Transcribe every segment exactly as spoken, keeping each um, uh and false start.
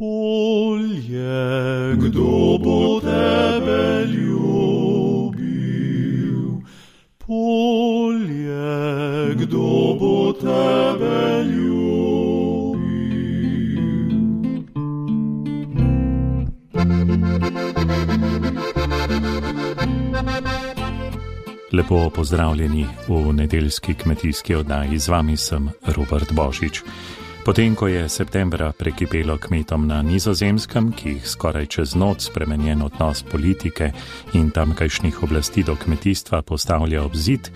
Polje, kdo bo tebe ljubil? Polje, kdo bo tebe ljubil? Lepo pozdravljeni v nedeljski kmetijski oddaji. Z vami sem Robert Božič. Potem, ko je septembra prekipelo kmetom na Nizozemskem, ki jih skoraj čez noč spremenjen odnos politike in tamkajšnjih oblasti do kmetijstva postavlja ob zid,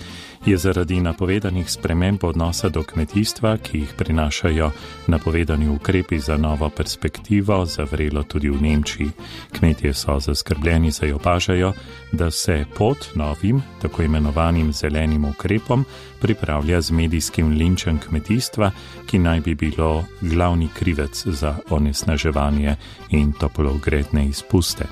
je zaradi napovedanih sprememb odnosa do kmetijstva, ki jih prinašajo napovedani ukrepi za novo perspektivo, zavrelo tudi v Nemčiji. Kmetje so zaskrbljeni, saj opažajo, da se pot novim, tako imenovanim zelenim ukrepom, pripravlja z medijskim linčem kmetijstva, ki naj bi bilo glavni krivec za onesnaževanje in toplogredne izpuste.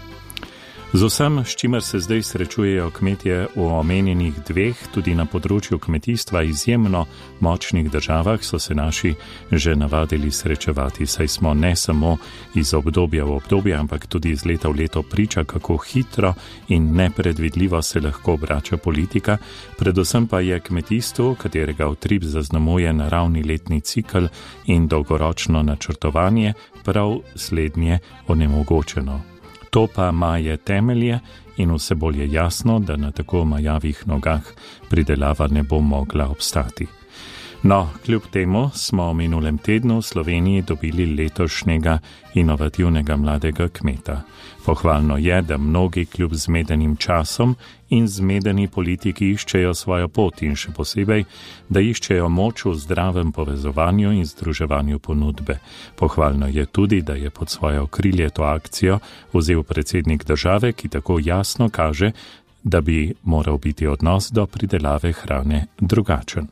Z vsem, s čimer se zdaj srečujejo kmetje v omenjenih dveh, tudi na področju kmetijstva izjemno močnih državah, so se naši že navadili srečevati, saj smo ne samo iz obdobja v obdobje, ampak tudi iz leta v leto priča, kako hitro in nepredvidljivo se lahko obrača politika, predvsem pa je kmetijstvo, katerega utrip zaznamuje naravni letni cikl in dolgoročno načrtovanje, prav slednje onemogočeno. To pa maje temelje in vse bolj je jasno, da na tako majavih nogah pridelava ne bo mogla obstati. No, kljub temu smo v minulem tednu v Sloveniji dobili letošnjega inovativnega mladega kmeta. Pohvalno je, da mnogi kljub zmedenim časom in zmedeni politiki iščejo svojo pot in še posebej, da iščejo moč v zdravem povezovanju in združevanju ponudbe. Pohvalno je tudi, da je pod svoje okrilje to akcijo vzel predsednik države, ki tako jasno kaže, da bi moral biti odnos do pridelave hrane drugačen.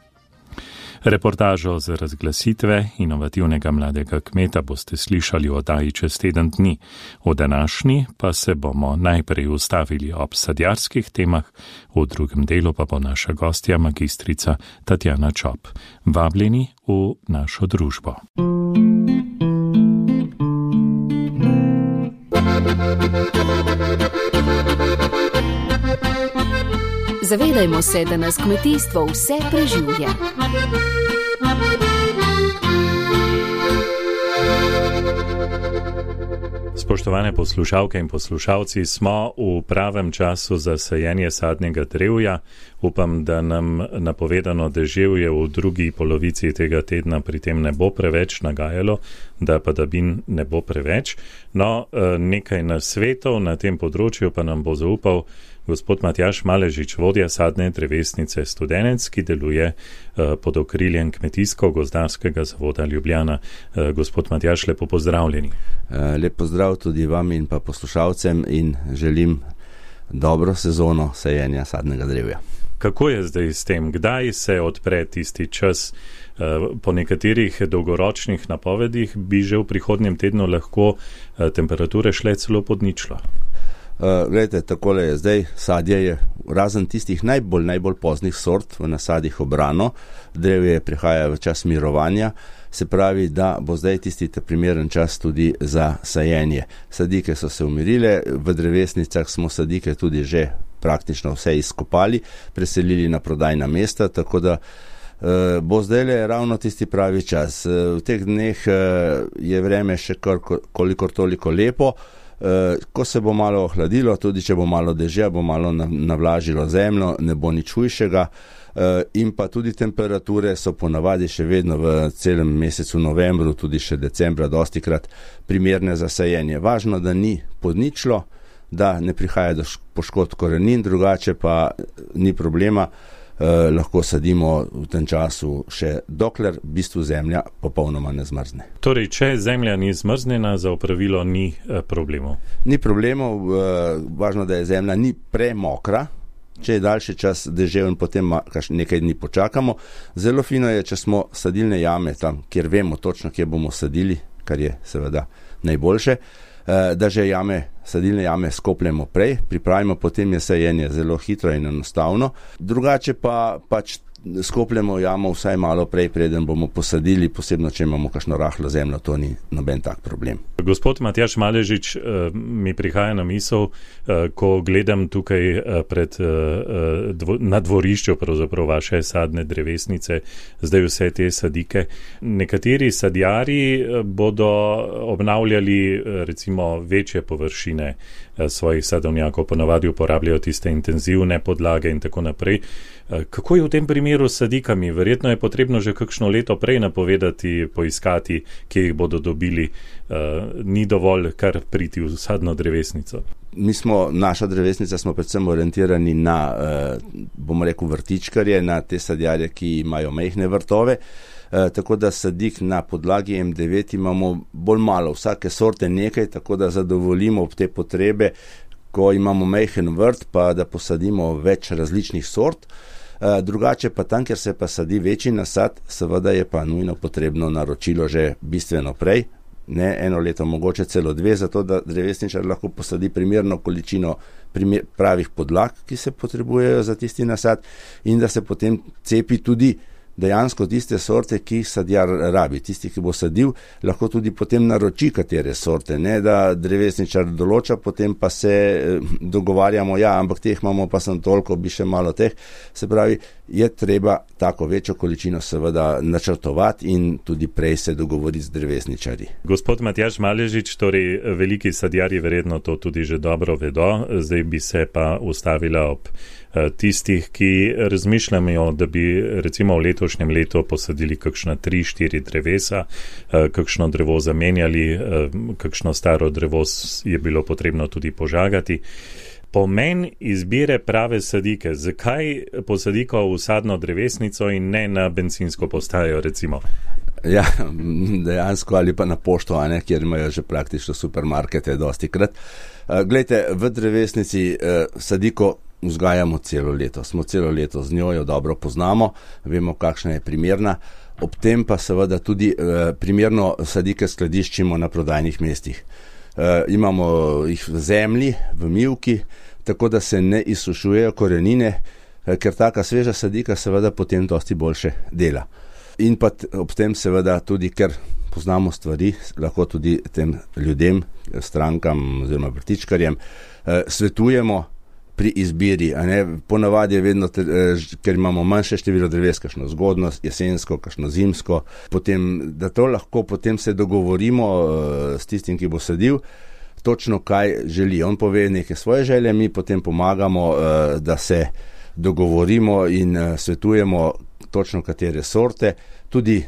Reportažo z razglasitve inovativnega mladega kmeta boste slišali v oddaji čez teden dni. V današnji pa se bomo najprej ustavili ob sadjarskih temah, v drugem delu pa bo naša gostja magistrica Tatjana Čop. Vabljeni v našo družbo. Zavedajmo se, da nas kmetijstvo vse preživlja. Spoštovane poslušalke in poslušalci, smo v pravem času za sajenje sadnega drevja. Upam, da nam napovedano deževje v drugi polovici tega tedna pri tem ne bo preveč nagajalo, da padavin ne bo preveč. No, nekaj nasvetov na tem področju pa nam bo zaupal gospod Matjaž Maležič, vodja sadne drevesnice Studenec, ki deluje pod okriljem Kmetijsko-gozdarskega zavoda Ljubljana. Gospod Matjaž, lepo pozdravljeni. Lep pozdrav tudi vam in pa poslušalcem in želim dobro sezono sajenja sadnega drevja. Kako je zdaj s tem? Kdaj se odpre tisti čas? Po nekaterih dolgoročnih napovedih bi že v prihodnjem tednu lahko temperature šle celo pod ničlo. Uh, Glejte, takole je zdaj, sadje je razen tistih najbolj, najbolj poznih sort v nasadih obrano, drevje prihaja v čas mirovanja, se pravi, da bo zdaj tisti primeren čas tudi za sajenje. Sadike so se umirile, v drevesnicah smo sadike tudi že praktično vse izkopali, preselili na prodajna mesta, tako da uh, bo zdaj le ravno tisti pravi čas. Uh, v teh dneh uh, je vreme še kar, kolikor toliko lepo. Ko se bo malo ohladilo, tudi če bo malo dežja, bo malo navlažilo zemljo, ne bo nič hujšega in pa tudi temperature so ponavadi še vedno v celem mesecu novembru, tudi še decembra dostikrat primerne za sajenje. Važno, da ni pod ničlo, da ne prihaja do poškodb korenin, drugače pa ni problema. Eh, lahko sadimo v tem času še dokler v bistvu zemlja popolnoma ne zmrzne. Torej, če zemlja ni zmrznjena, za opravilo ni eh, problemov? Ni problemov, eh, važno, da je zemlja ni premokra, če je daljši čas deževen, potem nekaj dni počakamo. Zelo fino je, če smo sadilne jame tam, kjer vemo točno, kje bomo sadili, kar je seveda najboljše, da že jame, sadilne jame skopljemo prej, pripravimo, potem je sajenje zelo hitro in enostavno. Drugače pa pač skopljemo jamo vsaj malo prej, preden bomo posadili, posebno, če imamo kakšno rahlo zemljo, to ni noben tak problem. Gospod Matjaž Maležič, mi prihaja na misel, ko gledam tukaj pred, na dvorišču pravzaprav vaše sadne drevesnice, zdaj vse te sadike. Nekateri sadjari bodo obnavljali recimo večje površine svojih sadovnjakov, ponavadi uporabljajo tiste intenzivne podlage in tako naprej. Kako je v tem primeru s sadikami? Verjetno je potrebno že kakšno leto prej napovedati, poiskati, kje jih bodo dobili. Ni dovolj kar priti v sadno drevesnico. Mi smo, naša drevesnica smo predvsem orientirani na, bomo rekel, vrtičkarje, na te sadjarje, ki imajo majhne vrtove. E, tako da sadik na podlagi em devet imamo bolj malo, vsake sorte nekaj, tako da zadovoljimo te potrebe, ko imamo majhen vrt, pa da posadimo več različnih sort. E, drugače pa tam, kjer se pa sadi večji nasad, seveda je pa nujno potrebno naročilo že bistveno prej, ne eno leto, mogoče celo dve, zato da drevesničar lahko posadi primerno količino primer, pravih podlag, ki se potrebujejo za tisti nasad, in da se potem cepi tudi dejansko tiste sorte, ki jih sadjar rabi. Tisti, ki bo sadil, lahko tudi potem naroči katere sorte, ne da drevesničar določa, potem pa se dogovarjamo, ja, ampak teh imamo pa sem toliko, bi še malo teh. Se pravi, je treba tako večjo količino seveda načrtovati in tudi prej se dogovoriti z drevesničarji. Gospod Matjaž Maležič, torej veliki sadjarji verjetno to tudi že dobro vedo, zdaj bi se pa ustavila ob tistih, ki razmišljajo, da bi recimo v letošnjem letu posadili kakšna tri, štiri drevesa, kakšno drevo zamenjali, kakšno staro drevo je bilo potrebno tudi požagati. Pomen izbire prave sadike, zakaj posadiko v sadno drevesnico in ne na bencinsko postajo recimo? Ja, dejansko ali pa na pošto, a ne, kjer imajo že praktično supermarkete dosti krat. Glejte, v drevesnici sadiko vzgajamo celo leto, smo celo leto z njo, jo dobro poznamo, vemo, kakšna je primerna, ob tem pa seveda tudi e, primerno sadike skladiščimo na prodajnih mestih. E, imamo jih v zemlji, v mivki, tako da se ne izsušujejo korenine, e, ker taka sveža sadika seveda potem dosti boljše dela. In pa t, ob tem seveda tudi, ker poznamo stvari, lahko tudi tem ljudem, strankam oziroma vrtičkarjem e, svetujemo pri izbiri, a ne, ponavadi je vedno, te, ker imamo manjše število dreves, kakšno zgodno, jesensko, kakšno zimsko, potem, da to lahko potem se dogovorimo uh, s tistim, ki bo sadil, točno kaj želi. On pove neke svoje želje, mi potem pomagamo, uh, da se dogovorimo in uh, svetujemo točno katere sorte, tudi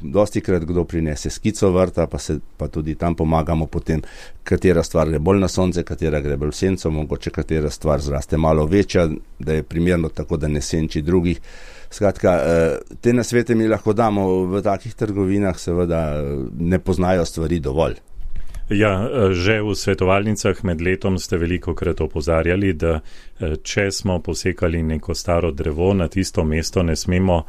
dosti krat kdo prinese skico vrta, pa se pa tudi tam pomagamo potem, katera stvar gre bolj na sonce, katera gre bolj v senco, mogoče katera stvar zraste malo večja, da je primerno tako, da ne senči drugih. Skratka, te nasvete mi lahko damo, v takih trgovinah seveda ne poznajo stvari dovolj. Ja, že v svetovalnicah med letom ste veliko krat opozarjali, da če smo posekali neko staro drevo, na tisto mesto ne smemo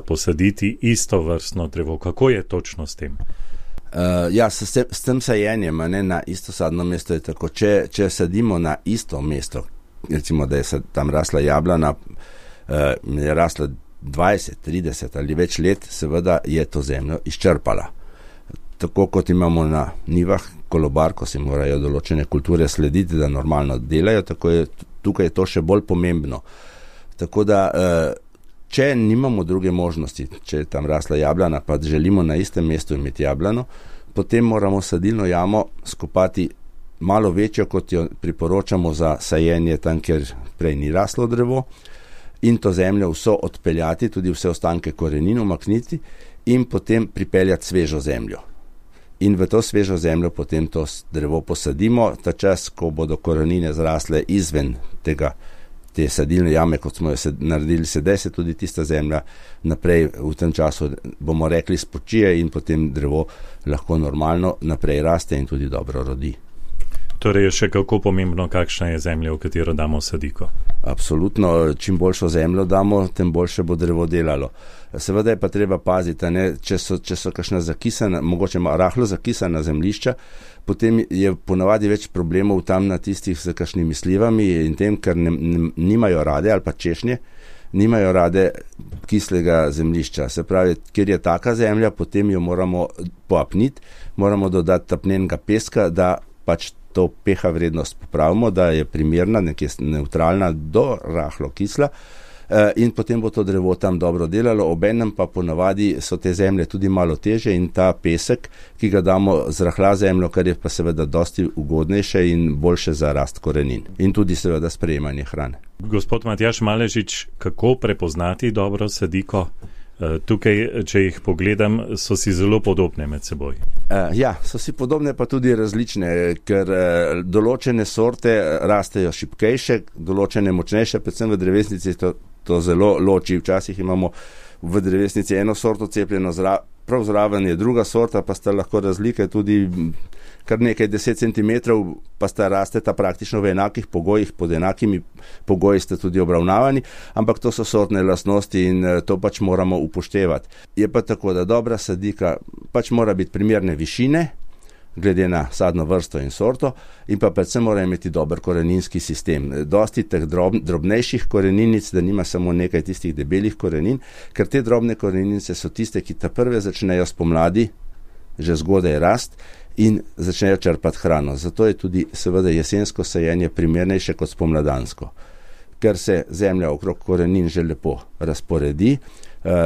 posaditi isto vrstno drevo. Kako je točno s tem? Uh, ja, s, s tem sajenjem, ne, na isto sadno mesto je tako. Če, če sadimo na isto mesto, recimo, da je tam rasla jablana, uh, je rasla dvajset, trideset ali več let, seveda je to zemljo izčrpala. Tako kot imamo na nivah kolobar, ko se morajo določene kulture slediti, da normalno delajo, tako je tukaj je to še bolj pomembno. Tako da, če nimamo druge možnosti, če je tam rasla jablana, pa želimo na istem mestu imeti jablano, potem moramo sadilno jamo skopati malo večjo, kot jo priporočamo za sajenje tam, kjer prej ni raslo drevo, in to zemljo vso odpeljati, tudi vse ostanke korenin umakniti in potem pripeljati svežo zemljo. In v to svežo zemljo potem to drevo posadimo, ta čas, ko bodo korenine zrasle izven tega, te sadilne jame, kot smo jo sed, naredili sedaj, se tudi tista zemlja naprej v tem času, bomo rekli, spočije in potem drevo lahko normalno naprej raste in tudi dobro rodi. Torej je še kako pomembno, kakšna je zemlja, v katero damo sadiko? Absolutno, čim boljšo zemljo damo, tem boljše bo drevo delalo. Seveda je pa treba paziti, ne, če so, če so kakšna zakisana, mogoče rahlo zakisana zemljišča, potem je ponavadi več problemov tam na tistih z kakšnimi slivami in tem, ker ne, ne, nimajo rade ali pa češnje, nimajo rade kislega zemljišča. Se pravi, ker je taka zemlja, potem jo moramo poapniti, moramo dodati tapnenega peska, da pač to pH vrednost popravimo, da je primerna, nekje neutralna do rahlo kisla, in potem bo to drevo tam dobro delalo. Obenem pa ponavadi so te zemlje tudi malo teže in ta pesek, ki ga damo, zrahla zemljo, kar je pa seveda dosti ugodnejše in boljše za rast korenin in tudi seveda sprejemanje hrane. Gospod Matjaž Maležič, kako prepoznati dobro sadiko? Tukaj, če jih pogledam, so si zelo podobne med seboj. Ja, so si podobne, pa tudi različne, ker določene sorte rastejo šibkejše, določene močnejše, predvsem v drevesnici to, to zelo loči. Včasih imamo v drevesnici eno sorto cepljeno, zra, prav zraven je druga sorta, pa sta lahko razlike tudi kar nekaj deset centimetrov, pa sta rasteta praktično v enakih pogojih, pod enakimi pogoji ste tudi obravnavani, ampak to so sortne lastnosti in to pač moramo upoštevati. Je pa tako, da dobra sadika pač mora biti primerne višine, glede na sadno vrsto in sorto, in pa predvsem mora imeti dober koreninski sistem. Dosti teh drob, drobnejših koreninic, da nima samo nekaj tistih debelih korenin, ker te drobne koreninice so tiste, ki ta prve začnejo spomladi, že zgodaj rast, in začnejo črpati hrano. Zato je tudi seveda jesensko sajenje primernejše kot spomladansko. Ker se zemlja okrog korenin že lepo razporedi,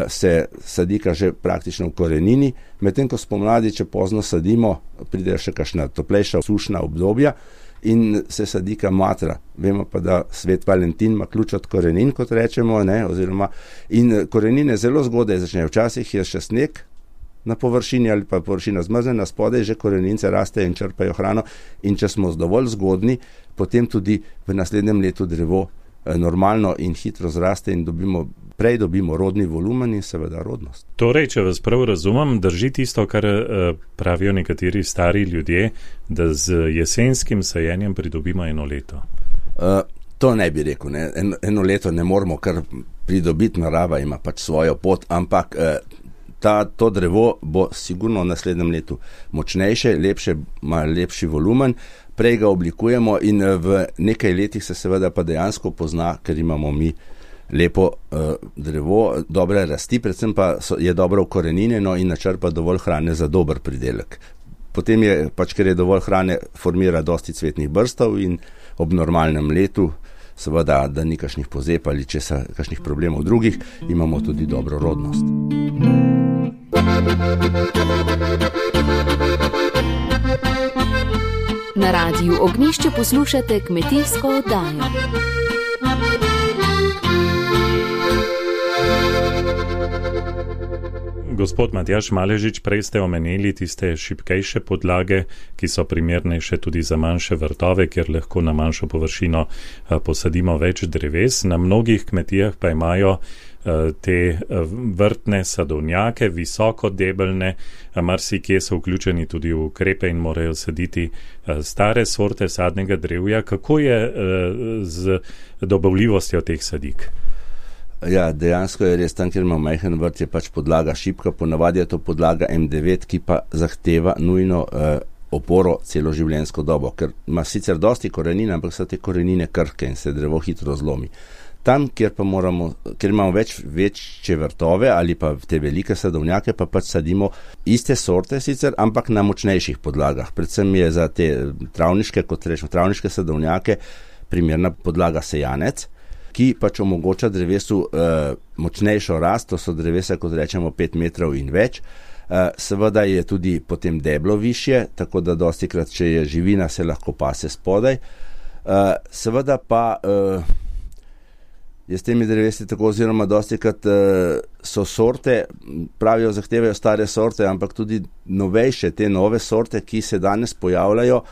se sadika že praktično v korenini, medtem ko spomladi, če pozno sadimo, pride še kakšna toplejša sušna obdobja in se sadika matra. Vemo pa, da svet Valentin ima ključ od korenin, kot rečemo, ne, oziroma in korenine zelo zgodaj začnejo. Včasih je še sneg na površini ali pa površina zmrznjena, spodaj že korenince rastejo in črpajo hrano, in če smo dovolj zgodni, potem tudi v naslednjem letu drevo normalno in hitro zraste in dobimo, prej dobimo rodni volumen in seveda rodnost. Torej, če vas prav razumem, drži tisto, kar pravijo nekateri stari ljudje, da z jesenskim sajenjem pridobimo eno leto? Uh, to ne bi rekel, ne. En, eno leto ne moramo kar pridobiti, narava ima pač svojo pot, ampak uh, Ta, to drevo bo sigurno v naslednjem letu močnejše, lepše, ima lepši volumen, prej ga oblikujemo in v nekaj letih se seveda pa dejansko pozna, ker imamo mi lepo uh, drevo, dobre rasti, predvsem pa so, je dobro ukoreninjeno in načrpa dovolj hrane za dober pridelek. Potem je pač, ker je dovolj hrane, formira dosti cvetnih brstov in ob normalnem letu, seveda, da ni kakšnih pozeb ali česa, kakšnih problemov drugih, imamo tudi dobro rodnost. Na Radiu Ognjišče poslušate kmetijsko oddajo. Gospod Matjaž Maležič, prej ste omenili tiste šibkejše podlage, ki so primernejše tudi za manjše vrtove, kjer lahko na manjšo površino posadimo več dreves. Na mnogih kmetijah pa imajo te vrtne sadovnjake, visoko debelne, marsikje so vključeni tudi v ukrepe in morajo saditi stare sorte sadnega drevja. Kako je z dobavljivostjo teh sadik? Ja, dejansko je res, tam, kjer ima majhen vrt, je pač podlaga šibka, ponavadi je to podlaga em devet, ki pa zahteva nujno eh, oporo celoživljenjsko dobo, ker ima sicer dosti korenin, ampak so te korenine krhke in se drevo hitro zlomi. Tam, kjer pa moramo, kjer imamo več večje vrtove ali pa te velike sadovnjake, pa pač sadimo iste sorte sicer, ampak na močnejših podlagah. Predvsem je za te travniške, kot rečemo, travniške sadovnjake primerna podlaga sejanec, ki pač omogoča drevesu uh, močnejšo rast, to so drevesa, kot rečemo, pet metrov in več. Uh, seveda je tudi potem deblo višje, tako da dostikrat, če je živina, se lahko pase spodaj. Uh, seveda pa uh, je s temi drevesi tako, oziroma dostikrat uh, so sorte, pravijo, zahtevajo stare sorte, ampak tudi novejše, te nove sorte, ki se danes pojavljajo,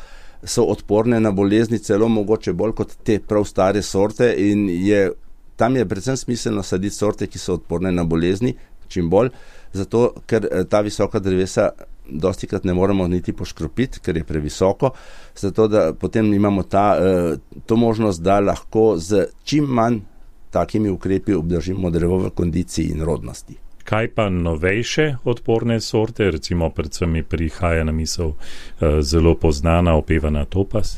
so odporne na bolezni, celo mogoče bolj kot te prav stare sorte, in je, tam je predvsem smiselno saditi sorte, ki so odporne na bolezni, čim bolj, zato ker ta visoka drevesa dostikrat ne moremo niti poškropiti, ker je previsoko, zato da potem imamo ta, to možnost, da lahko z čim manj takimi ukrepi obdržimo drevo v kondiciji in rodnosti. Kaj pa novejše odporne sorte, recimo predvsem mi prihaja na misel uh, zelo poznana opevana Topaz?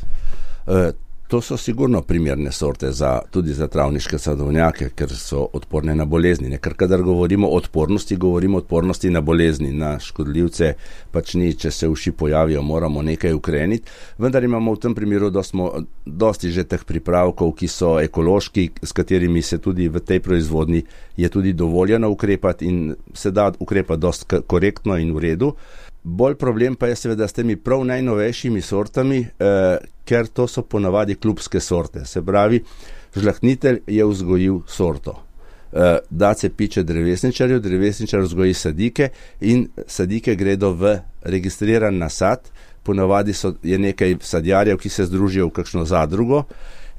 Uh, To so sigurno primerne sorte za, tudi za travniške sadovnjake, ker so odporne na bolezni. Ker kadar govorimo o odpornosti, govorimo o odpornosti na bolezni, na škodljivce, pač ni, če se uši pojavijo, moramo nekaj ukreniti. Vendar imamo v tem primeru dostmo, dosti že teh pripravkov, ki so ekološki, s katerimi se tudi v tej proizvodni je tudi dovoljeno ukrepati in se da ukrepati dosti korektno in v redu. Bolj problem pa je seveda s temi prav najnovejšimi sortami, eh, ker to so ponavadi klubske sorte. Se pravi, žlahtnitelj je vzgojil sorto. Eh, da se piče drevesničarju, drevesničar vzgoji sadike in sadike gredo v registriran nasad. Ponavadi so, je nekaj sadjarjev, ki se združijo v kakšno zadrugo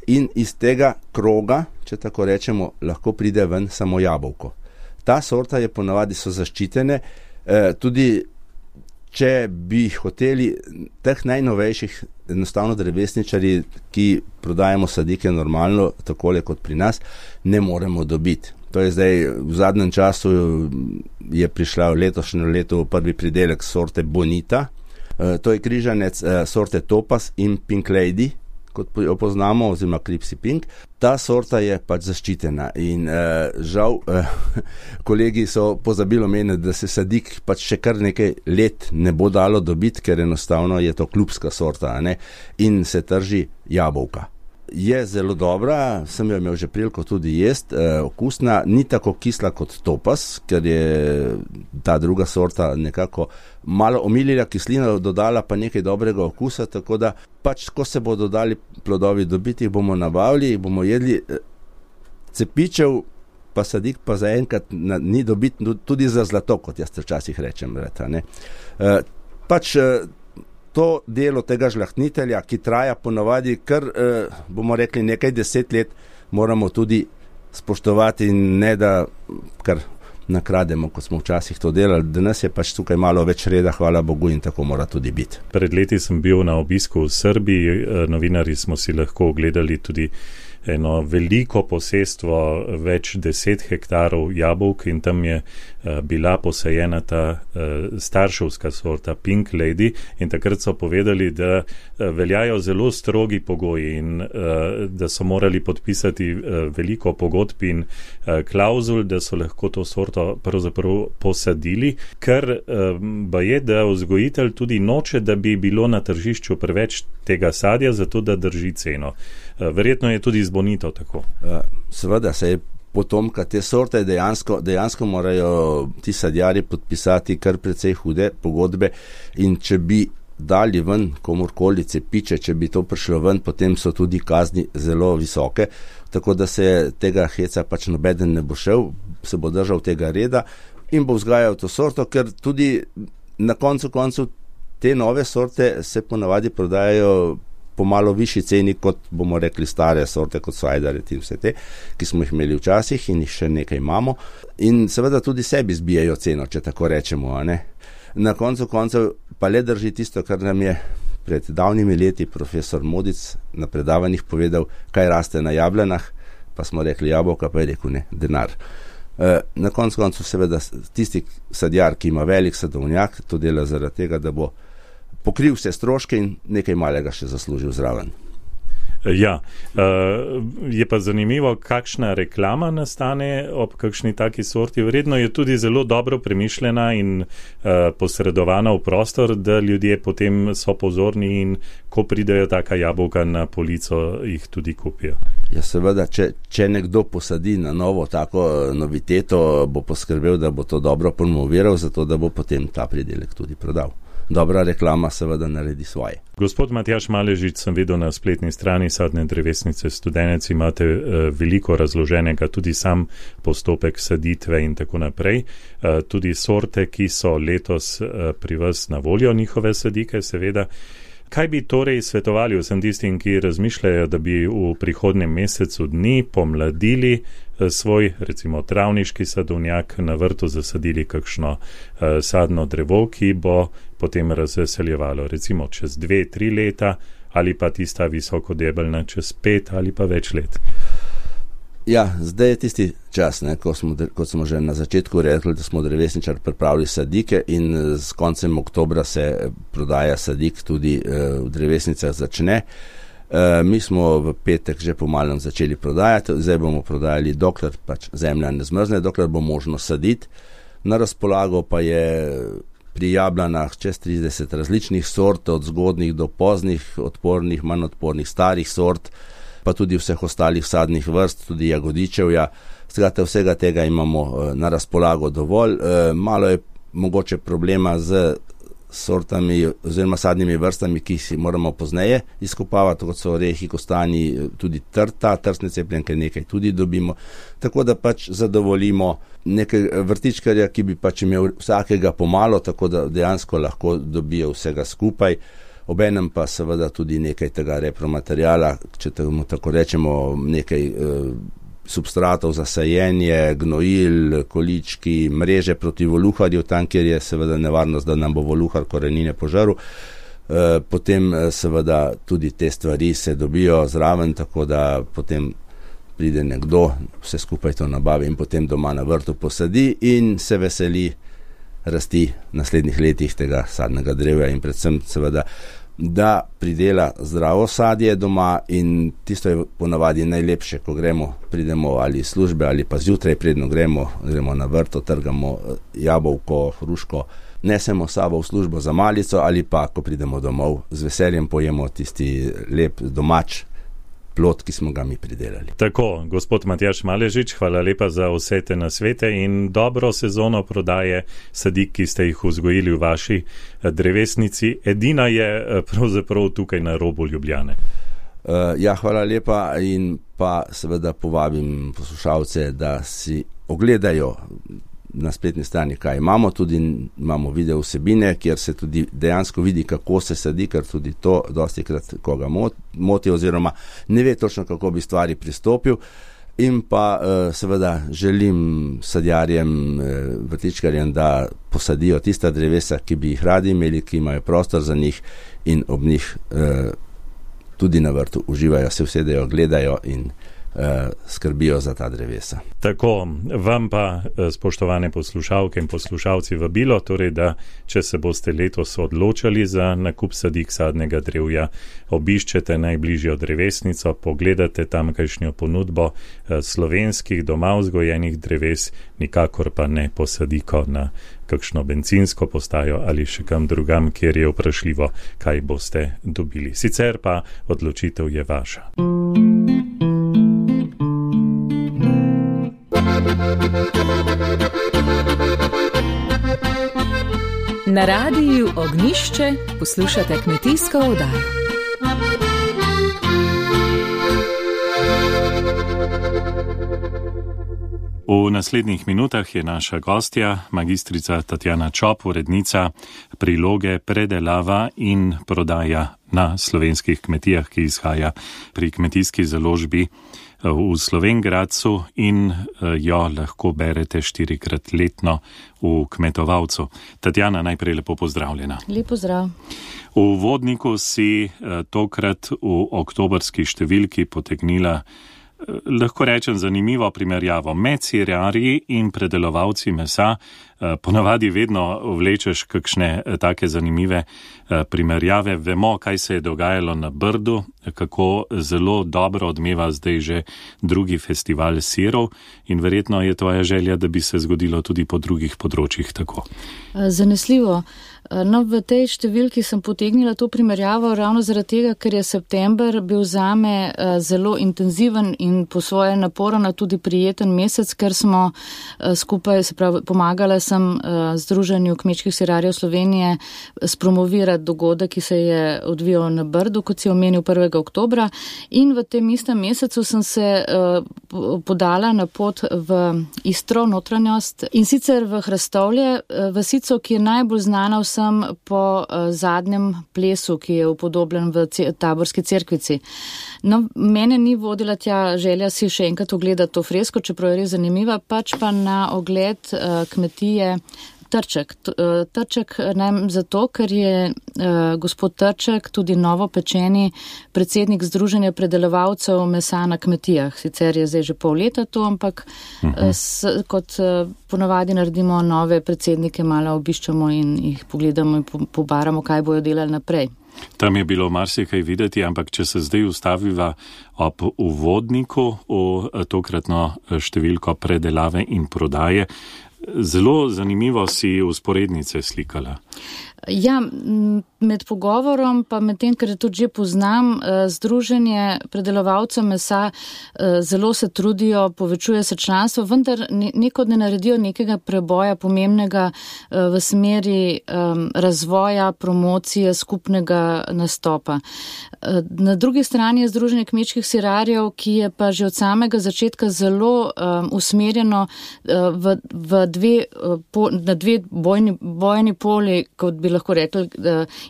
in iz tega kroga, če tako rečemo, lahko pride ven samo jabolko. Ta sorta je ponavadi so zaščitene, eh, tudi če bi hoteli teh najnovejših, enostavno drevesničari, ki prodajamo sadike normalno, takole kot pri nas, ne moremo dobiti. To je zdaj, v zadnjem času je prišla v letošnjem letu prvi pridelek sorte Bonita, e, to je križanec e, sorte Topaz in Pink Lady, kot jo poznamo, oziroma Clipsy Pink. Ta sorta je pač zaščitena in eh, žal eh, kolegi so pozabili omeniti, da se sadik pač še kar nekaj let ne bo dalo dobiti, ker enostavno je to klubska sorta, ne? In se trži jabolka. Je zelo dobra, sem jo imel že priliko tudi jest, eh, okusna, ni tako kisla kot Topaz, ker je ta druga sorta nekako malo omilila kislino, dodala pa nekaj dobrega okusa, tako da pač, ko se bodo dali plodovi dobiti, jih bomo nabavili, jih bomo jedli. Cepičev pa sadik pa zaenkrat ni dobiti tudi za zlato, kot jaz včasih rečem. Vreta, ne. E, pač to delo tega žlahtnitelja, ki traja ponavadi kar, e, bomo rekli, nekaj deset let, moramo tudi spoštovati in ne da kar nakrademo, kot smo včasih to delali. Danes je pač tukaj malo več reda, hvala Bogu, in tako mora tudi biti. Pred leti sem bil na obisku v Srbiji, novinarji smo si lahko ogledali tudi eno veliko posestvo, več deset hektarov jabolk in tam je uh, bila posajena ta uh, starševska sorta Pink Lady in takrat so povedali, da uh, veljajo zelo strogi pogoji in uh, da so morali podpisati uh, veliko pogodb in uh, klauzul, da so lahko to sorto pravzaprav posadili, ker uh, ba je, da vzgojitelj tudi noče, da bi bilo na tržišču preveč tega sadja, zato da drži ceno. Uh, verjetno je tudi z Bonito tako. Seveda se je potomka te sorte dejansko, dejansko morajo ti sadjari podpisati kar precej hude pogodbe in če bi dali ven komorkoli cepiče, če bi to prišlo ven, potem so tudi kazni zelo visoke, tako da se tega heca pač nobeden ne bo šel, se bo držal tega reda in bo vzgajal to sorto, ker tudi na koncu koncu te nove sorte se ponavadi prodajajo po malo višji ceni, kot bomo rekli stare sorte, kot so ajdare in vse te, ki smo jih imeli včasih in jih še nekaj imamo. In seveda tudi sebi zbijajo ceno, če tako rečemo. A ne? Na koncu koncev pa le drži tisto, kar nam je pred davnimi leti profesor Modic na predavanjih povedal, kaj raste na jablanah, pa smo rekli jabolka, pa je rekel ne, denar. Na koncu koncev seveda tisti sadjar, ki ima velik sadovnjak, to dela zaradi tega, da bo pokril vse stroške in nekaj malega še zaslužil zraven. Ja, je pa zanimivo, kakšna reklama nastane ob kakšni taki sorti. Vredno je tudi zelo dobro premišljena in posredovana v prostor, da ljudje potem so pozorni in ko pridejo taka jabolka na polico, jih tudi kupijo. Ja, seveda, če, če nekdo posadi na novo tako noviteto, bo poskrbel, da bo to dobro promoviral, zato da bo potem ta pridelek tudi prodal. Dobra reklama seveda naredi svoje. Gospod Matjaž Maležič, sem videl na spletni strani Sadne drevesnice Studenec, imate uh, veliko razloženega, tudi sam postopek saditve in tako naprej. Uh, tudi sorte, ki so letos uh, pri vas na voljo, njihove sadike, seveda. Kaj bi torej svetovali vsem tistim, ki razmišljajo, da bi v prihodnjem mesecu dni pomladili svoj, recimo, travniški sadovnjak, na vrtu zasadili kakšno uh, sadno drevo, ki bo potem razveseljevalo, recimo čez dve, tri leta ali pa tista visokodebelna čez pet ali pa več let? Ja, zdaj je tisti čas, ne, ko smo, kot smo že na začetku rekli, da smo drevesničar pripravili sadike in s koncem oktobra se prodaja sadik tudi uh, v drevesnicah začne. E, mi smo v petek že pomalem začeli prodajati, zdaj bomo prodajali, dokler pač zemlja ne zmrzne, dokler bo možno saditi. Na razpolago pa je pri jablanah čez trideset različnih sort, od zgodnih do poznih, odpornih, manj odpornih, starih sort, pa tudi vseh ostalih sadnih vrst, tudi jagodičevja. Skratka, vsega tega imamo na razpolago dovolj. E, malo je mogoče problema z sortami oziroma sadnimi vrstami, ki si moramo pozneje izkopavati, kot so orehi, kostanji, tudi trta, trsne cepljenke nekaj tudi dobimo, tako da pač zadovoljimo nekaj vrtičkarja, ki bi pač imel vsakega pomalo, tako da dejansko lahko dobijo vsega skupaj, obenem pa seveda tudi nekaj tega repromaterijala, če temu tako rečemo, nekaj eh, substratov za sajenje, gnojil, količki, mreže proti voluharju, tam, kjer je seveda nevarnost, da nam bo voluhar korenine požaril. E, potem seveda tudi te stvari se dobijo zraven, tako da potem pride nekdo, vse skupaj to nabavi in potem doma na vrtu posadi in se veseli rasti v naslednjih letih tega sadnega drevja in predvsem seveda da pridela zdravo sadje doma in tisto je ponavadi najlepše, ko gremo, pridemo ali iz službe ali pa zjutraj predno gremo, gremo na vrto, trgamo jabolko, hruško, nesemo sabo v službo za malico ali pa, ko pridemo domov, z veseljem pojemo tisti lep domač plod, ki smo ga mi pridelali. Tako, gospod Matjaž Maležič, hvala lepa za vse te nasvete in dobro sezono prodaje sadik, ki ste jih vzgojili v vaši drevesnici. Edina je pravzaprav tukaj na robu Ljubljane. Uh, ja, hvala lepa in pa seveda povabim poslušalce, da si ogledajo na spletni strani, kaj imamo, tudi imamo video vsebine, kjer se tudi dejansko vidi, kako se sadi, ker tudi to dosti krat koga moti oziroma ne ve točno, kako bi stvari pristopil. In pa seveda želim sadjarjem, vrtičkarjem, da posadijo tista drevesa, ki bi jih radi imeli, ki imajo prostor za njih in ob njih tudi na vrtu uživajo, se usedejo, gledajo in skrbijo za ta drevesa. Tako, vam pa, spoštovane poslušalke in poslušalci, vabilo, torej, da če se boste letos odločali za nakup sadik sadnega drevja, obiščete najbližjo drevesnico, pogledate tamkajšnjo ponudbo slovenskih doma vzgojenih dreves, nikakor pa ne posadiko na kakšno bencinsko postajo ali še kam drugam, kjer je vprašljivo, kaj boste dobili. Sicer pa odločitev je vaša. Na radiju Ognjišče poslušate kmetijsko oddajo. V naslednjih minutah je naša gostja, magistrica Tatjana Čop, urednica priloge Predelava in prodaja na slovenskih kmetijah, ki izhaja pri kmetijski založbi v Slovengradcu in jo lahko berete štirikrat letno v Kmetovalcu. Tatjana, najprej lepo pozdravljena. Lep pozdrav. V uvodniku si tokrat v oktobrski številki potegnila, lahko rečem, zanimivo primerjavo med sirjarji in predelovalci mesa. Ponavadi vedno vlečeš kakšne take zanimive primerjave. Vemo, kaj se je dogajalo na Brdu, kako zelo dobro odmeva zdaj že drugi festival sirov in verjetno je tvoja želja, da bi se zgodilo tudi po drugih področjih tako. Zanesljivo. No, v tej številki sem potegnila to primerjavo ravno zaradi tega, ker je september bil zame zelo intenziven in po svoje naporen, tudi prijeten mesec, ker smo skupaj, se pravi, pomagala sem Združenju kmečkih sirarjev Slovenije spromovirati dogodek, ki se je odvijal na Brdu, kot si omenil prvega oktobra, in v tem istem mesecu sem se podala na pot v Istro, notranjost, in sicer v Hrastovlje, vasico, ki je najbolj znana vsem po zadnjem plesu, ki je upodobljen v Taborski cerkvici. No, mene ni vodila tja želja si še enkrat ogledati to fresko, čeprav je res zanimiva, pač pa na ogled kmetije Trček. Trček najem zato, ker je gospod Trček tudi novopečeni predsednik Združenja predelovalcev mesa na kmetijah. Sicer je zdaj že pol leta to, ampak uh-huh. s, kot ponavadi naredimo nove predsednike, malo obiščamo in jih pogledamo in pobaramo, kaj bojo delali naprej. Tam je bilo marsikaj videti, ampak če se zdaj ustaviva ob uvodniku v tokratno številko predelave in prodaje, zelo zanimivo si usporednice slikala. Ja, med pogovorom, pa med tem, ker tudi že poznam, Združenje predelovalcev mesa zelo se trudijo, povečuje se članstvo, vendar nekod ne naredijo nekega preboja pomembnega v smeri razvoja, promocije, skupnega nastopa. Na drugi strani je Združenje kmečkih sirarjev, ki je pa že od samega začetka zelo usmerjeno v, v dve, na dve bojni, bojni poli, kot bi lahko rekli,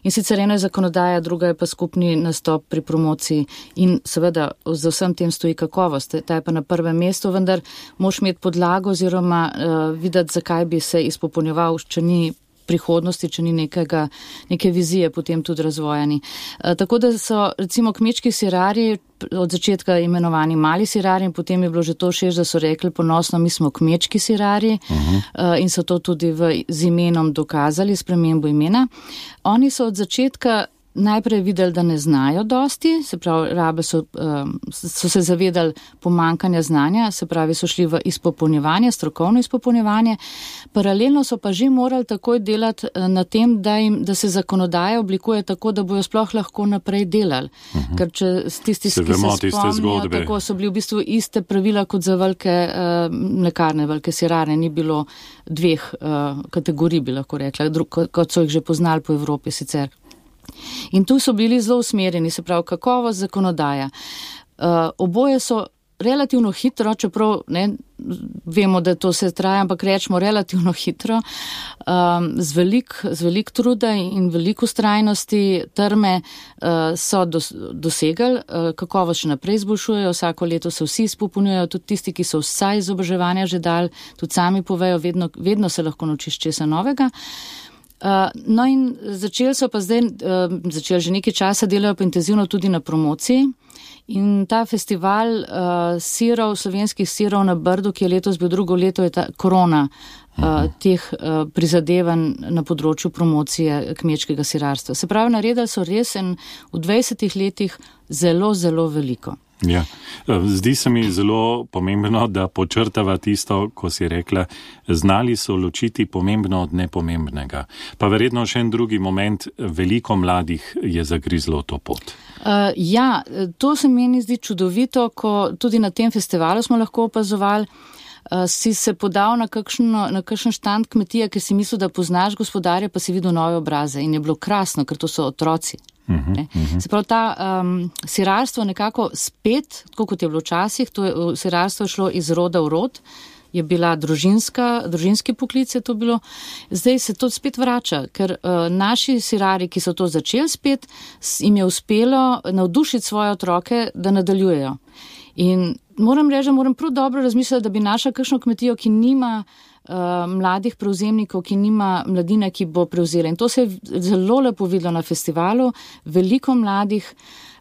in sicer eno je zakonodaja, druga je pa skupni nastop pri promociji in seveda za vsem tem stoji kakovost, ta je pa na prvem mestu, vendar moš imeti podlago oziroma uh, videti, zakaj bi se izpopolnjeval, če ni prihodnosti, če ni nekega, neke vizije potem tudi razvojani. E, tako da so recimo kmečki sirarji od začetka imenovani mali sirarji in potem je bilo že to šeš, da so rekli ponosno, mi smo kmečki sirarji uh-huh. e, in so to tudi v, z imenom dokazali, spremembo imena. Oni so od začetka najprej videli, da ne znajo dosti, se pravi, rabe so, so se zavedali pomankanja znanja, se pravi, so šli v izpopolnjevanje, strokovno izpopolnjevanje. Paralelno so pa že morali takoj delati na tem, da, jim, da se zakonodaja oblikuje tako, da bojo sploh lahko naprej delali. Uh-huh. Ker če tisti, ki se spomnijo, tako so bili v bistvu iste pravila kot za velike uh, mlekarne, velike sirarne, ni bilo dveh uh, kategorij, bi lahko rekla, dru- kot so jih že poznali po Evropi sicer. In tu so bili zelo usmerjeni, se pravi kakovost, zakonodaja. Uh, oboje so relativno hitro, čeprav ne, vemo, da to se traja, ampak rečemo relativno hitro, um, z velik, z velik truda in veliko ustrajnosti, trme uh, so dos, dosegali, uh, kakovost še naprej izboljšujejo, vsako leto se vsi izpopolnjujejo, tudi tisti, ki so vsaj izobraževanja že dali, tudi sami povejo, vedno, vedno se lahko naučiš česa novega. Uh, no in začeli so pa zdaj, uh, začeli že nekaj časa, delajo pa intenzivno tudi na promociji in ta festival uh, sirov, slovenskih sirov na Brdu, ki je letos bil drugo leto, je ta korona uh, teh uh, prizadevanj na področju promocije kmečkega sirarstva. Se pravi, naredili so res en v dvajsetih letih zelo, zelo veliko. Ja, zdi se mi zelo pomembno, da počrtava tisto, ko si rekla, znali so ločiti pomembno od nepomembnega. Pa verjetno še en drugi moment, veliko mladih je zagrizlo to pot. Uh, ja, to se meni zdi čudovito, ko tudi na tem festivalu smo lahko opazovali, uh, si se podal na kakšen, na kakšen štand kmetije, ki si mislil, da poznaš gospodarja, pa si videl nove obraze in je bilo krasno, ker to so otroci. Uh-huh, uh-huh. Se pravi, ta um, sirarstvo nekako spet, tako kot je bilo včasih, to je, sirarstvo je šlo iz roda v rod, je bila družinska, družinski poklic je to bilo, zdaj se to spet vrača, ker uh, naši sirari, ki so to začeli spet, jim je uspelo navdušiti svoje otroke, da nadaljujejo. In moram reči, moram prav dobro razmisliti, da bi našla kakšno kmetijo, ki nima Uh, mladih prevzemnikov, ki nima mladine, ki bo prevzela. In to se je zelo lepo videlo na festivalu, veliko mladih,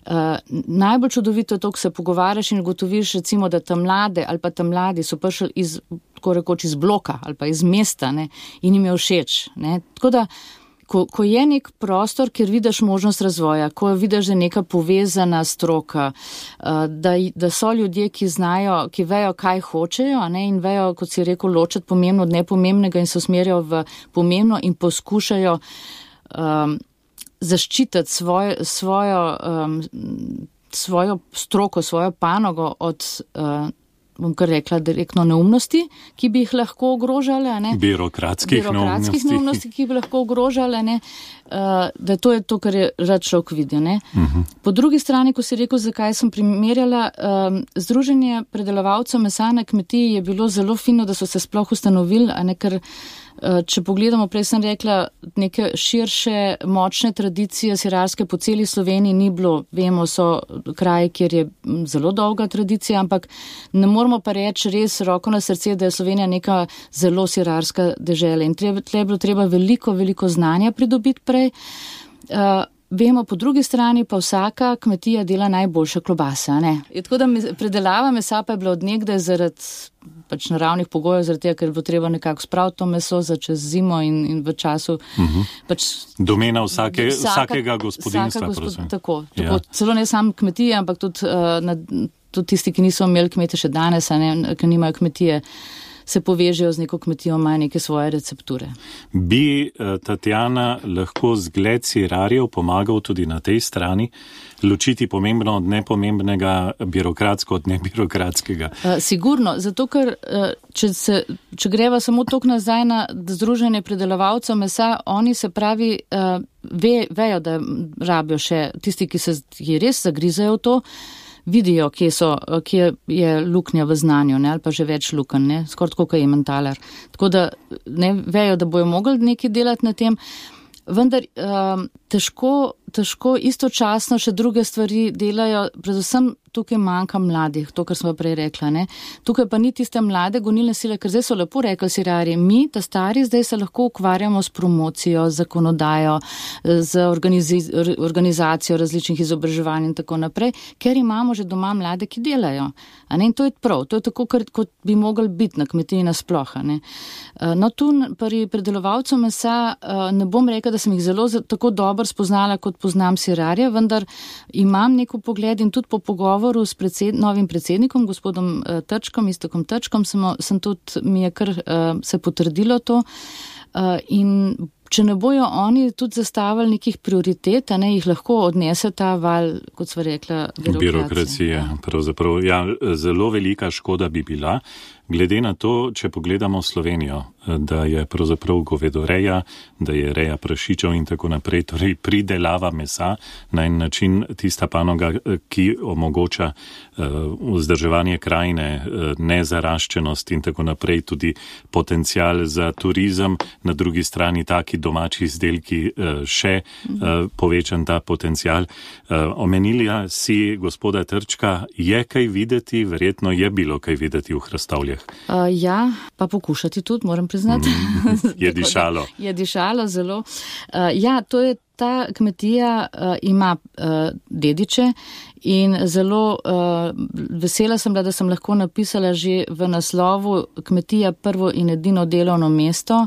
uh, najbolj čudovito je to, ko se pogovarjaš in ugotoviš, recimo, da tam mlade ali pa tam mladi so prišli iz, tako rekoč, iz bloka ali pa iz mesta, ne, in jim je všeč. Ne. Tako da, ko, ko je nek prostor, kjer vidiš možnost razvoja, ko vidiš, da je neka povezana stroka, da, da so ljudje, ki znajo, ki vejo, kaj hočejo, ne, in vejo, kot si rekel, ločati pomembno od nepomembnega in se usmerjajo v pomembno in poskušajo um, zaščititi svoj, svojo, um, svojo stroko, svojo panogo od uh, bom kar rekla, direktno neumnosti, ki bi jih lahko ogrožale. Ne? Birokratskih, Birokratskih neumnosti. neumnosti, ki bi lahko ogrožale. Ne? Uh, da to je to, kar je rad človek videl. Ne? Uh-huh. Po drugi strani, ko si rekel, zakaj sem primerjala, um, Združenje predelovalcev mesa na kmetiji je bilo zelo fino, da so se sploh ustanovili, a ne ker če pogledamo, prej sem rekla, neke širše, močne tradicije sirarske po celi Sloveniji ni bilo. Vemo, so kraji, kjer je zelo dolga tradicija, ampak ne moramo pa reči res roko na srce, da je Slovenija neka zelo sirarska dežela. In tle je bilo treba veliko, veliko znanja pridobiti prej. Uh, Vemo, po drugi strani pa vsaka kmetija dela najboljše klobase. Ne? Tako da predelava mesa pa je bila od nekdaj zaradi pač naravnih pogojev, zaradi tega, ker bo treba nekako spraviti to meso za čez zimo in, in v času. Uh-huh. Pač, domena vsake, vsaka, vsakega gospodinstva. Vsaka gospod, tako, tako ja. Celo ne sam kmetije, ampak tudi, uh, na, tudi tisti, ki niso imeli kmete še danes, a ne, ki nimajo kmetije, se povežejo z neko kmetijo, imajo neke svoje recepture. Bi Tatjana lahko zgled sirarjev pomagal tudi na tej strani ločiti pomembno od nepomembnega, birokratsko od nebirokratskega? Uh, sigurno, zato ker uh, če, se, če greva samo tok nazaj na združenje predelovalcev mesa, oni se pravi, uh, ve, vejo, da rabijo še tisti, ki se ki res zagrizajo v to, vidijo, kje, so, kje je luknja v znanju, ne, ali pa že več luken, ne, skoraj tako, kot je mentalar. Tako da ne, vejo, da bojo mogli nekaj delati na tem, vendar um, težko, težko istočasno še druge stvari delajo, predvsem tukaj manjka mladih, to, kar smo prej rekla. Ne. Tukaj pa ni tiste mlade gonilne sile, ker zdaj so lepo rekli sirarji, mi, ta stari, zdaj se lahko ukvarjamo s promocijo, z zakonodajo, z organizi, organizacijo različnih izobraževanj in tako naprej, ker imamo že doma mlade, ki delajo. A ne, in to je prav, to je tako, kot bi mogli biti na kmetiji nasploh. Ne. No, tu pri predelovalcu mesa ne bom rekla, da sem jih zelo tako dobro spoznala, kot poznam sirarje, vendar imam neko pogled in tudi po pogovoru s predsed, novim predsednikom, gospodom uh, Trčkom, Iztokom Trčkom, sem, sem tudi, mi je kar uh, se potrdilo to uh, in če ne bojo oni tudi zastavili nekih prioritet, a ne jih lahko odnese ta val, kot sva rekla, birokracije. Birokracija, pravzaprav, ja, zelo velika škoda bi bila, glede na to, če pogledamo Slovenijo, da je pravzaprav govedoreja, da je reja prašičev in tako naprej, torej pridelava mesa na en način tista panoga, ki omogoča uh, vzdrževanje krajine, uh, nezaraščenost in tako naprej, tudi potencial za turizem, na drugi strani taki domači izdelki uh, še uh, povečan ta potencial. Uh, omenila si gospoda Trčka, je kaj videti, verjetno je bilo kaj videti v Hrastavljah. Uh, ja, pa pokušati tudi, moram priznati. Mm, je dišalo. Je dišalo zelo. Uh, ja, to je ta kmetija uh, ima uh, dediče in zelo uh, vesela sem bila, da sem lahko napisala že v naslovu kmetija prvo in edino delovno mesto.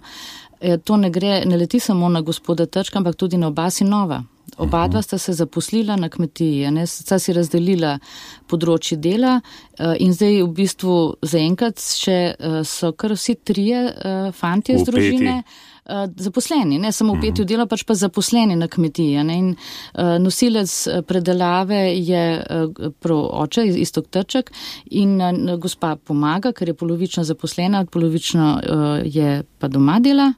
E, to ne gre, ne leti samo na gospoda Trčka, ampak tudi na oba sinova. Oba dva sta se zaposlila na kmetiji, ne, sta si razdelila področje dela in zdaj v bistvu zaenkrat še so kar vsi trije fantje z družine zaposleni, ne samo v petju dela, pač pa zaposleni na kmetiji. Ne, in nosilec predelave je prav oče, Iztok Trček, in gospa pomaga, ker je polovično zaposlena, polovično je pa doma dela,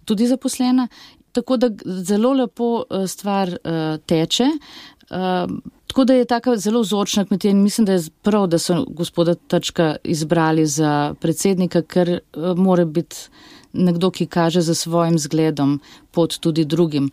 tudi zaposlena. Tako da zelo lepo stvar uh, teče, uh, tako da je taka zelo vzorčna kmetija in mislim, da je prav, da so gospoda Trčka izbrali za predsednika, ker uh, mora biti nekdo, ki kaže za svojim zgledom pot tudi drugim.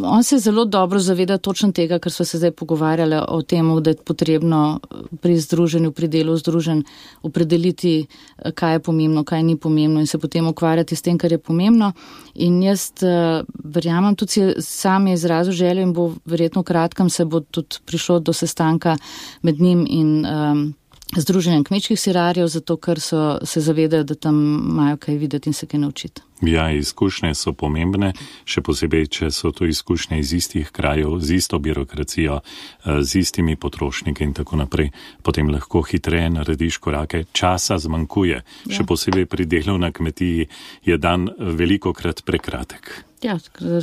On se zelo dobro zaveda točno tega, kar smo se zdaj pogovarjali o tem, da je potrebno pri združenju, pri delu združen opredeliti, kaj je pomembno, kaj ni pomembno in se potem ukvarjati s tem, kar je pomembno. In jaz uh, verjamem, tudi sam je izrazil željo in bo verjetno v kratkem se bo tudi prišlo do sestanka med njim in um, združenjem kmečkih sirarjev, zato ker so se zavedajo, da tam imajo kaj videti in se kaj naučiti. Ja, izkušnje so pomembne, še posebej, če so to izkušnje iz istih krajev, z isto birokracijo, z istimi potrošniki in tako naprej. Potem lahko hitreje narediš korake, časa zmanjkuje. Ja. Še posebej pri delu na kmetiji je dan velikokrat prekratek. Ja,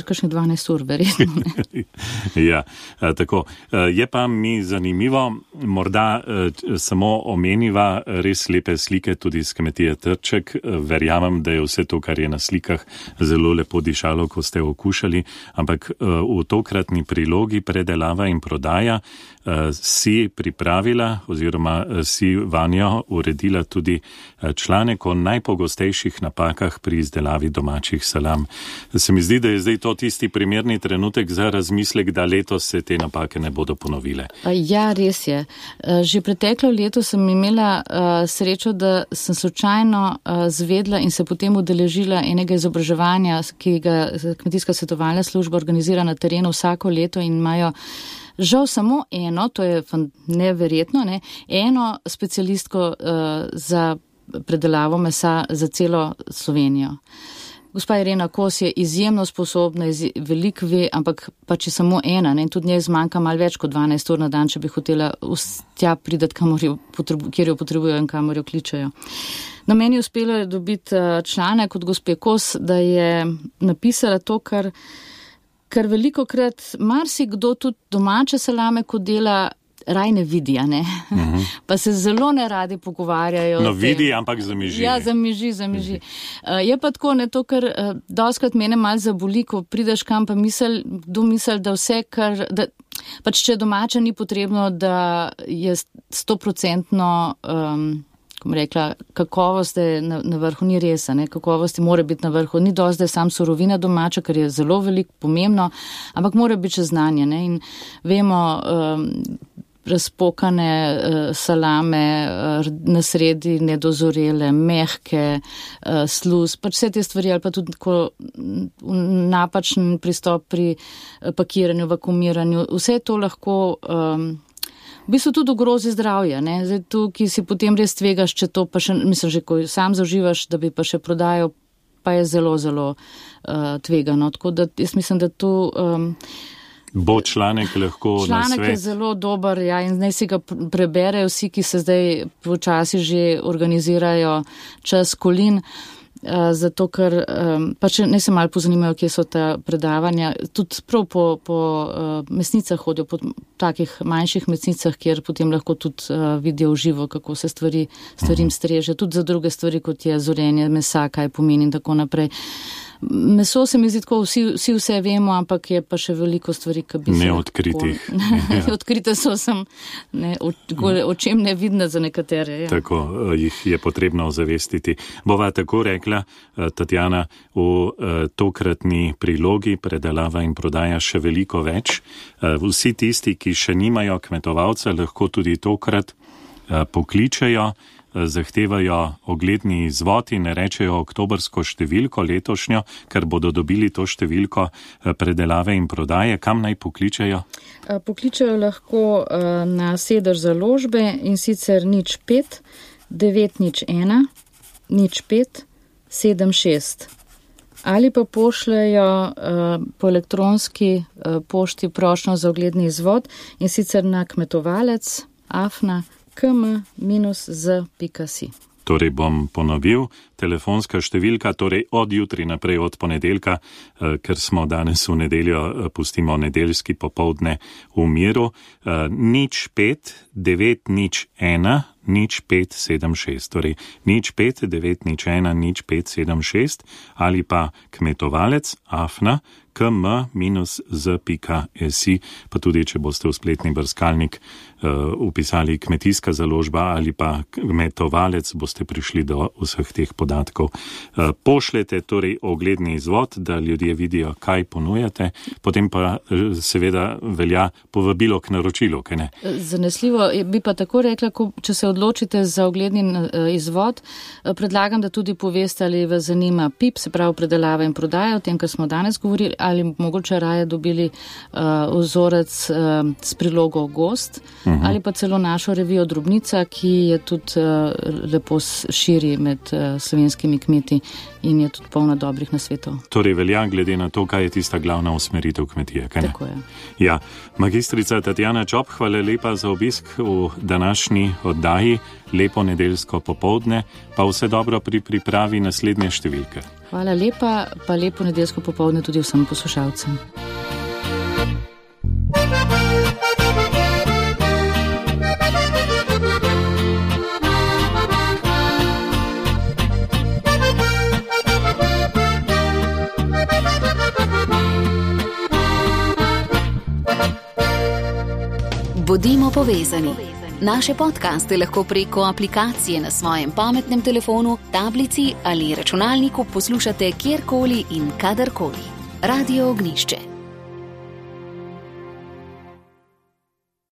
kakšnih dvanajst ur, verjetno. Ja, tako. Je pa mi zanimivo, morda samo omeniva res lepe slike tudi z kmetije Trček. Verjamem, da je vse to, kar je na slikah, zelo lepo dišalo, ko ste okušali, ampak v tokratni prilogi predelava in prodaja si pripravila oziroma si vanjo uredila tudi članek o najpogostejših napakah pri izdelavi domačih salam. Se mi zdi, da je zdaj to tisti primerni trenutek za razmislek, da letos se te napake ne bodo ponovile. Ja, res je. Že preteklo leto sem imela srečo, da sem slučajno zvedla in se potem udeležila enega izobraževanja, ki ga Kmetijska svetovalna služba organizira na terenu vsako leto in imajo žal samo eno, to je neverjetno, ne, eno specialistko uh, za predelavo mesa za celo Slovenijo. Gospa Irena Kos je izjemno sposobna, veliko ve, ampak pa če samo ena, ne, tudi njej zmanjka malo več kot dvanajst ur na dan, če bi hotela tja pridati, kjer jo potrebujo in kamor jo kličejo. Na meni je uspelo dobiti članek od gospe Kos, da je napisala to, kar, kar veliko krat marsikdo tudi domače salame, ko dela, raj ne vidi, a ne? Uh-huh. Pa se zelo ne radi pogovarjajo. No vidi, ampak zamiži. Ja, zamiži, zamiži. Uh, je pa tako, ne to, kar uh, doskrat mene malo zaboli, ko prideš kam, pa misel, kdo misel, da vse, kar, da, pač če domača ni potrebno, da je stoprocentno, um, kom rekla, kakovost je na, na vrhu, ni res, ne? Kakovost mora biti na vrhu, ni dosti, da je sam surovina domača, kar je zelo veliko pomembno, ampak mora biti še znanje, ne? In vemo, um, razpokane uh, salame, uh, na sredi nedozorele, mehke, uh, sluz, pač vse te stvari, ali pa tudi tako napačen pristop pri uh, pakiranju, vakuumiranju, vse to lahko um, v bistvu tudi ogrozi zdravje, ne, zdaj tu, ki si potem res tvegaš, če to pa še, mislim, že ko sam zauživaš, da bi pa še prodajal, pa je zelo, zelo uh, tvegano, tako da jaz mislim, da tu um, bo članek lahko na svet. Članek je zelo dober, ja, in naj si ga preberejo vsi, ki se zdaj počasi že organizirajo čas kolin, uh, zato ker um, pa če ne se malo pozanimajo, kje so ta predavanja, tudi prav po, po uh, mesnicah hodijo, po takih manjših mesnicah, kjer potem lahko tudi uh, vidijo v živo, kako se stvari, stvarim streže, tudi za druge stvari, kot je zorenje mesa, kaj pomeni in tako naprej. Meso se mi zdi tako, vsi, vsi vse vemo, ampak je pa še veliko stvari, ki bi se... Neodkritih. Ja. Odkrite so sem, ne, o, o čem ne vidne za nekatere. Ja. Tako, jih je potrebno ozavestiti. Bova tako rekla, Tatjana, v tokratni prilogi predelava in prodaja še veliko več. Vsi tisti, ki še nimajo kmetovalca, lahko tudi tokrat pokličejo, zahtevajo ogledni izvod in rečejo oktobrsko številko letošnjo, ker bodo dobili to številko predelave in prodaje. Kam naj pokličejo? Pokličejo lahko na sedež založbe in sicer nič pet, devet nič ena, nič pet, sedem šest. Ali pa pošljajo po elektronski pošti prošnjo za ogledni izvod in sicer na kmetovalec afna km minus z pika si. Torej bom ponovil, telefonska številka, torej od jutri naprej, od ponedeljka, ker smo danes v nedeljo, pustimo nedeljski popoldne v miru, nič pet, devet nič ena, nič pet sedem šest, torej nič pet, devet nič ena, nič pet sedem šest ali pa kmetovalec afna km minus z pika si, pa tudi, če boste v spletni brskalnik uh, upisali kmetijska založba ali pa kmetovalec, boste prišli do vseh teh podatkov. Uh, pošljete torej ogledni izvod, da ljudje vidijo, kaj ponujate, potem pa uh, seveda velja povabilo k naročilu, kaj ne? Zanesljivo bi pa tako rekla, ko, če se odločite za ogledni uh, izvod, uh, predlagam, da tudi poveste, ali vas zanima P I P, se pravi predelava in prodaja, o tem, kar smo danes govorili, ali mogoče raje dobili uh, vzorec uh, s prilogo Gost, uh-huh. ali pa celo našo revijo Drobnica, ki je tudi uh, lepo širi med uh, slovenskimi kmeti in je tudi polna dobrih nasvetov. Torej velja glede na to, kaj je tista glavna usmeritev kmetije, kaj ne? Tako je. Ja, magistrica Tatjana Čop, hvala lepa za obisk v današnji oddaji, lepo nedeljsko popoldne, pa vse dobro pri pripravi naslednje številke. Hvala lepa, pa lepo nedeljsko popoldne tudi vsem poslušalcem. Bodimo povezani. Naše podcaste lahko preko aplikacije na svojem pametnem telefonu, tablici ali računalniku poslušate kjerkoli in kadarkoli. Radio Ognišče.